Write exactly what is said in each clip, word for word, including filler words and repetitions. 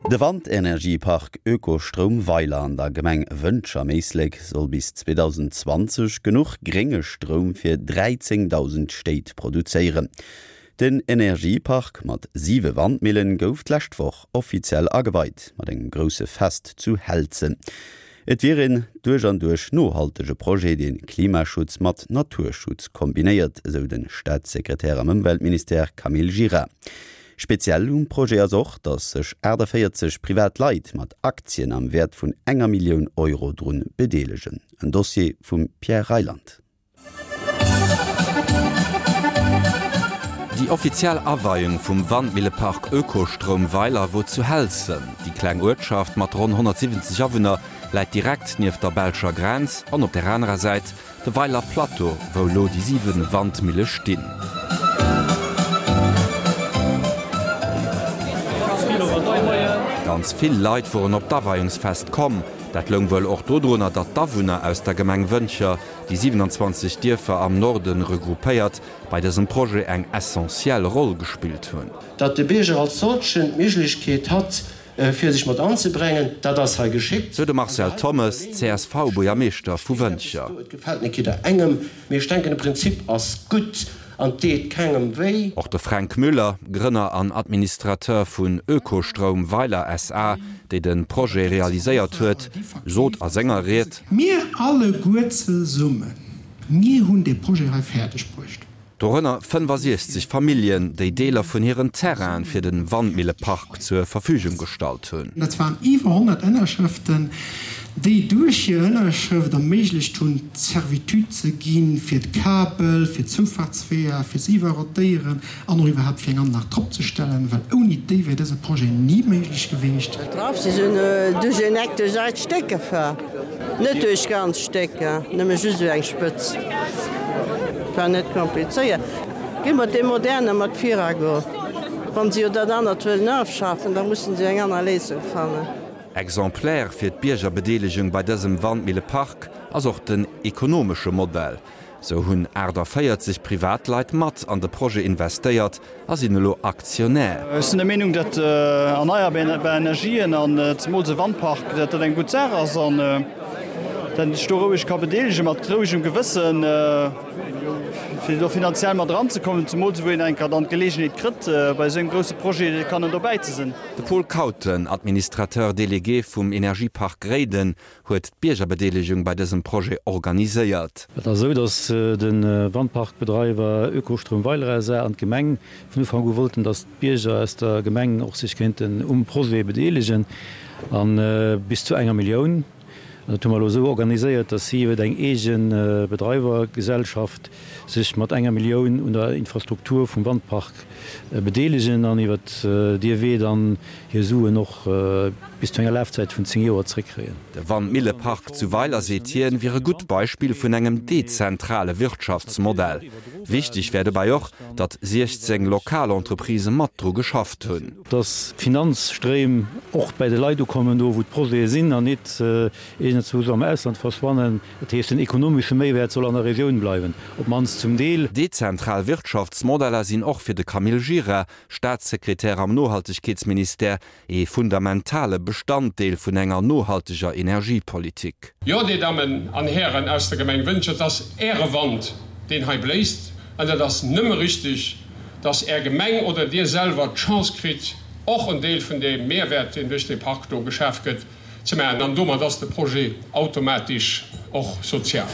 De Wandenergiepark Ökostroum Weiler an der Gemeng Wëntger am Éislek soll bis zweedausendzwanzeg genuch grénge Stroum fir dräizéngdausend Stéit produzéieren. Den Energiepark mat siwe Wandmillen gouf d'lescht Woch offiziell ageweit mat engem grousse Fest zu Helzen. Et wier een duerch an duerch nohaltege Projet, dee Klimaschutz mat Naturschutz kombinéiert, esou de Staatssekretär am Ëmweltministère Camille Gira. Speziell um Projet ass och, datt sech aachtavéierzeg privat Leit mat Aktien am Wäert vun enger Millioun Euro drun bedeelegen. En Dossier vum Pierre Reyland. Déi offiziell Aweiung vum Wandmillepark Ökostroum Weiler wor zu Helzen. Déi kleng Uertschaft mat ronn honnertsiwwenzeg Awunner läit direkt nieft der belscher Grenz an op der anerer Säit de Weiler Plateau, wou elo déi siwen Wandmille stinn. Ganz vill Leit woren op d'Aweiungsfest komm. Dat loung wuel och dodrunner, datt d'Awunner aus der Gemeng Wëntger, déi siwenanzwanzeg Dierfer am Norde regroupéiert, bei dësem Projet eng essentiell Roll gespillt hunn. Datt de Bierger als solchen d'Méiglechkeet hat, fir sech mat anzebrengen, dat ass hei geschitt. Sou de Marcel Thommes, C S V-Buergermeeschter vu Wëntger. Et gefält net jidderengem, mee ech denken, de Prinzip ass gutt an deet kengem wéi. Och de Fränk Müller, Grënner an Administrateur vun Ökostroum Weiler S A, déi de Projet realiséiert huet, sot a senger Ried. Mir alleguer zesummen, mir hunn dee Projet hei fäerdeg bruecht. Dorënner fënnefasiechzeg Familljen, déi Deeler vun hiren Terraine fir de Wandmillepark zur Verfügung gestallt hunn. Dat waren iwwer honnert Ënnerschrëften, déi duerch hir Ënnerschrëft erméiglecht hunn, d'Servitude ze ginn fir d'Kabel, fir d'Zoufahrtsweeër, fir ze iwwerrotéieren an och iwwerhaapt fir eng Anlag drop ze stellen, well ouni déi wär dëse Projet ni méiglech gewiescht. Draf si sinn duerch een Eck duerch eist Stéck gefahr. Net duerch ganz Stécker, nëmme just esou eng Spëtzt. War net komplizéiert. Gi mat deem moderne mat Virago. Wann se jo dat anert wëllen ofschafen, da mussen se eng aner Léisung fannen. Exemplaire fir d'Biergerbedeelegung bei dësem Wandmillepark ass och den ekonomesche Modell. Sou hunn aachtavéierzeg Privatleit mat an de Projet investéiert a sinn elo Aktionär. Ech sinn der Meenung, datt erneierbar Energien an zemools e Wandpark, datt dat eng gutt Saach ass an datt een sech do roueg ka bedeelegen, mat rouegem Gewëssen, fir do finanziell mat eranzekommen, zemools wou een eng Kéier dann d'Geleegenheet kritt, bei esou engem grousse Projet kannen dobäi ze sinn. De Paul Kauten, Administrateur délégué vum Energiepark Réiden, huet d'Biergerbedeelegung bei dësem Projet organiséiert. Et ass esou, datt de Wandparkbedreiwer Ökostrom Weiler S A an d'Gemeng vun Ufank u wollten, datt d'Bierger aus der Gemeng och sech kéinten um Projet bedeelegen, a bis zu enger Millioun. An dat hu mer elo esou organiséiert, datt si iwwer eng eege Bedreiwergesellschaft sech mat enger Millioun un der Infrastruktur vum Wandpark bedeelegen an iwwer dee Wee dann hir Suen och bis zu enger Lafzäit vun zéng Joer zréckkréien. De Wandmillepark zu Weiler, seet hien, wier e gutt Beispill vun engem dezentrale Wirtschaftsmodell. Wichteg wär dobäi och, datt siechzéng lokal Entreprisë mat dru geschafft hunn. Datt d'Finanzstréim och bäi de Leit ukommen, do wou d'Projete sinn, an nit iergendzwou am Ausland verschwannen. Dat heescht, den ekonomesche Méiwäert soll an der Regioun bleiwen, op d'mannst zum Deel. Dezentral Wirtschaftsmodeller sinn och fir de Camille Gira, Staatssekretär am Nohaltegkeetsministère, ee fundamentale Bestanddeel vun enger nohalteger Energiepolitik. Jo, Dir Dammen an Hären aus der Gemeng Wëntger, et ass Äre Wand, deen hei bléist, an et ass nëmme richtig, dass Är Gemeng oder Dir selwer d'Chance kritt, och en Deel vun deem Mehrwert, deen duerch dee Park do geschaf gëtt, ze maachen. An domat ass de Projet automatesch och sozial.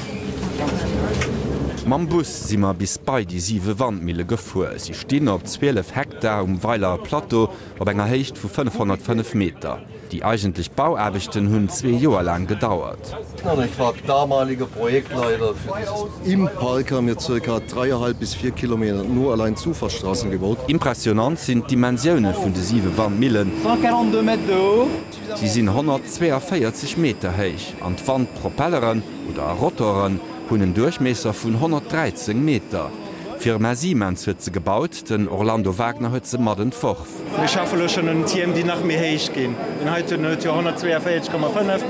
Mam Bus si mer bis bei déi siwe Wandmille gefuer. Si stinn op zwielef Hektar um Weiler Plateau op enger Héicht vu fënnefhonnertfënnef Meter. Déi eigentlech Bauaarbechten hunn zwee Joer laang gedauert. Ich war damaliger Projektleiter für dieses. Im Park haben wir circa dreieinhalb bis vier Kilometer nur allein Zufahrtsstraßen gebaut. Impressionant sinn d'Dimensioune vun de siwe Wandmillen. Si sinn honnertzweeënvéierzeg Meter héich an d'Wandpropelleren oder Rotoren hunn en Duerchmiesser vun honnertdräizéng Meter. D'Firma Siemens huet se gebaut, den Orlando Wagner huet se mat entworf. Mir schaffe lo schonn un Tierm, déi nach méi héich ginn. Deen heiten huet jo honnertzweeënvéierzeg Komma fënnef.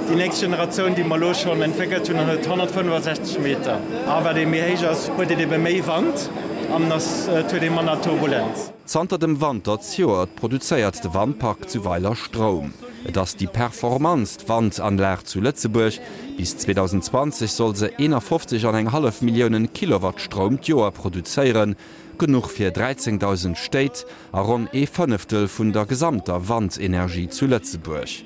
Déi nächst Generatioun, déi mer elo schonn entwéckelt hunn, huet honnertfënnefasechzeg Meter. A wat ee méi héich ass, huet een ebe méi Wand an et huet ee manner Turbulenz. Zanter dem Wanter zejoert produzéiert de Wandpark zu Weiler Stroum. Et ass déi performantst Wandanlag zu Lëtzebuerg. Bis zweedausendzwanzeg soll se eenafofzeg an eng hallef Milliounen Kilowatt Stroum d'Joer produzéieren, genuch fir dräizéngdausend Stéit a ronn ee Fënneftel vun der gesamter Wandenergie zu Lëtzebuerg.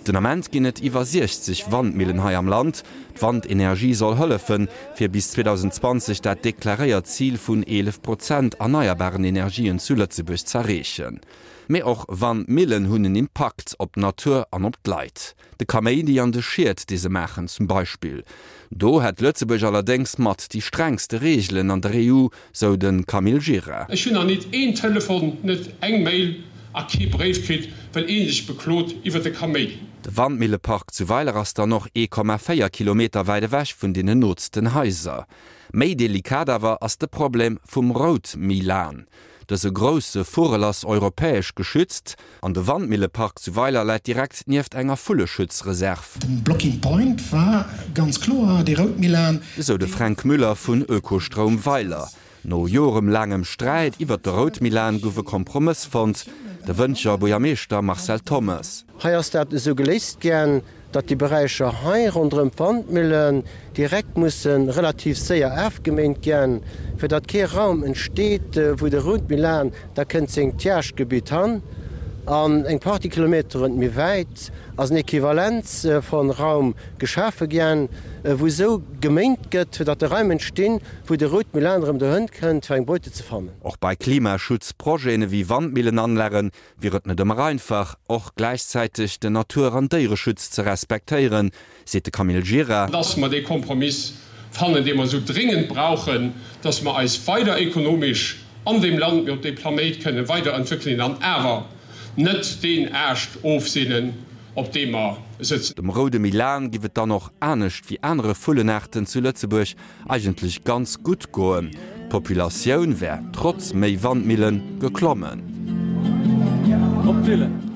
Den Ament ginn et iwwer siechzeg Wandmillen hei am Land. D'Wandenergie soll hëllefen, fir bis zweedausendzwanzeg dat deklaréiert Zil vun eelef Prozent erneierbaren Energien zu Lëtzebuerg z'erreechen. Mee och Wandmillen hunn en Impakt op d'Natur an op d'Leit. De Kaméidi an de Schied, dee se maachen, zum Beispill. Do hätt Lëtzebuerg allerdéngs mat déi strengste Reegelen an der E U, sou de Camille Gira. Ech hunn nach nit een Telefon, net eng Mail a kee Bréif kritt, well ee sech beklot iwwer de Kaméidi. De Wandmillepark zu Weiler ass dann och ee Komma véier Kilometer wäit ewech vun deenen nootsten Haiser. Méi delikat awer ass de Problem vum Routmilan. Dëse grousse Vugel ass europäesch geschützt an de Wandmillepark zu Weiler läit direkt nieft enger Vulleschutzreserv. Den Blocking Point war ganz kloer dee Routmilan. Esou de Fränk Müller vun Ökostroum Weiler. No joremlaangem Sträit iwwert de Routmilan gouf e Kompromëss fonnt, de Wëntger Buergermeeschter Marcel Thommes. Hei ass dat esou geléist gän, datt déi Beräicher hei ronderëm d'Wandmillen direkt musse relativ séier afgeméint gän, fir datt kee Raum entsteet, wou de Routmilan da kënnt sengt Jagdgebitt han. An eng Partie Kilometeren méi wäit ass en Equivalenz von Raum geschafe gän, wou esou geméint gëtt, fir datt de Raim entstinn, wou de Routmilan erëm dohënn kënnt, fir eng Beute ze fannen. Och bei Klimaschutzprojeten ewéi Wandmillenanlage wier et net ëmmer einfach, och gläichzäiteg den Natur an Déiereschutz ze respektéieren, seet de Camille Gira. Dass mer dee Kompromiss fannen, dee mer esou dringend brauchen, dass mer eis weider ekonomesch an deem Land, mee op deem Planéit kënnen weiderentwéckelen an awer net deen Aascht ofseenen, op deem mer sëtzen. Dem roude Milan giff et dann och, anescht wéi anere Vullenaarten zu Lëtzebuerg, eigentlech ganz gutt goen. D'Populatioun wär trotz méi Wandmillen geklommen.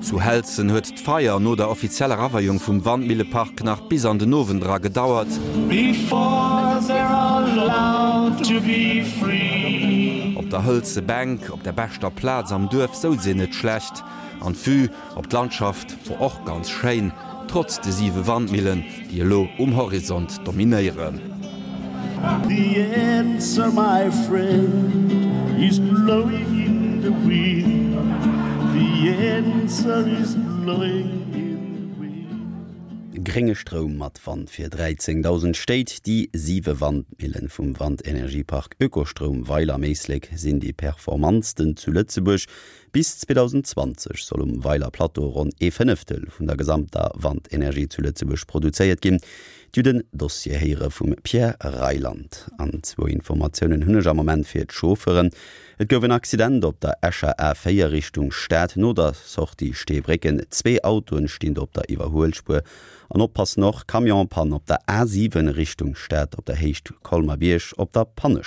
Zu Helzen huet d'Feier no der offizieller Aweiung vum Wandmillepark nach bis an den Owend era gedauert. Op der hëlze Bänk, op der beschter Plaz am Duerf, souz een net schlecht an d'Vue op d'Landschaft wor och ganz schéin, trotz de siwe Wandmillen, déi elo um Horizont dominéieren. The answer, my friend, is blowing in the wind. The answer is blowing in the wind. Grénge Stroum mat Wand fir dräizéngdausend Stéit, Déi siwe Wandmillen vum Wandenergiepark Ökostroum Weiler am Éislek sinn déi performantsten zu Lëtzebuerg. Bis zweedausendzwanzeg soll um Weiler Plateau ronn ee Fënneftel vun der gesamter Wandenergie zu Lëtzebuerg produzéiert ginn. Dir hutt den Dossier héiere vum Pierre Reyland. An zwou Informatiounen hunn ech am Moment fir d'Chauffeuren. Et gouf en Accident op der Escher A véier Richtung Stad no der Sortie Steebrécken. Zwee Autoen stinn do op der Iwwerhuelspuer. An oppassen och, Camion-Panne op der A siwen Richtung Stad op der Héicht Colmer-Bierg op der Pannespuer.